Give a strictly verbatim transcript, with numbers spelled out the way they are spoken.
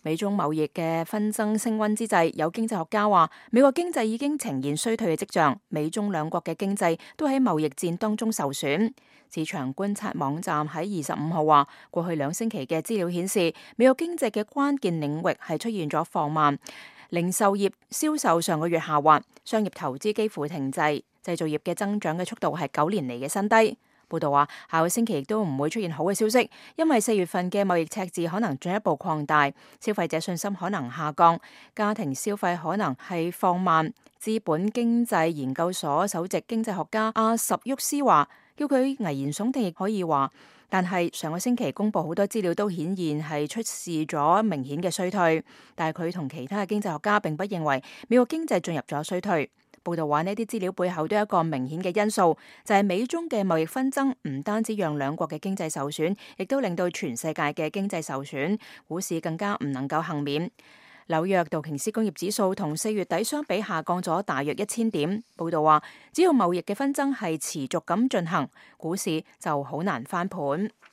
美中貿易嘅紛爭升溫之際，有經濟學家話，美國經濟已經呈現衰退嘅跡象，美中兩國嘅經濟都喺貿易戰當中受損。市場觀察網站喺二十五號話，過去兩星期嘅資料顯示，美國經濟嘅關鍵領域係出現咗放慢，零售業銷售上個月下滑，商業投資幾乎停滯，製造業嘅增長嘅速度係九年嚟嘅新低。報道話，下個星期亦都唔會出現好嘅消息，因為四月份嘅貿易赤字可能進一步擴大，消費者信心可能下降，家庭消費可能係放慢。資本經濟研究所首席經濟學家阿什沃斯話，叫佢危言聳聽亦可以話，但係上個星期公布好多資料都顯現係出示咗明顯嘅衰退，但係佢同其他嘅經濟學家並不認為美國經濟進入咗衰退。報道話呢啲資料背後都有一個明顯嘅因素，就係美中嘅貿易紛爭唔單止讓兩國嘅經濟受損，亦都令到全世界嘅經濟受損，股市更加唔能夠幸免。紐約道瓊斯工業指數同四月底相比下降咗大約一千點。報道話，只要貿易嘅紛爭係持續咁進行，股市就好難翻盤。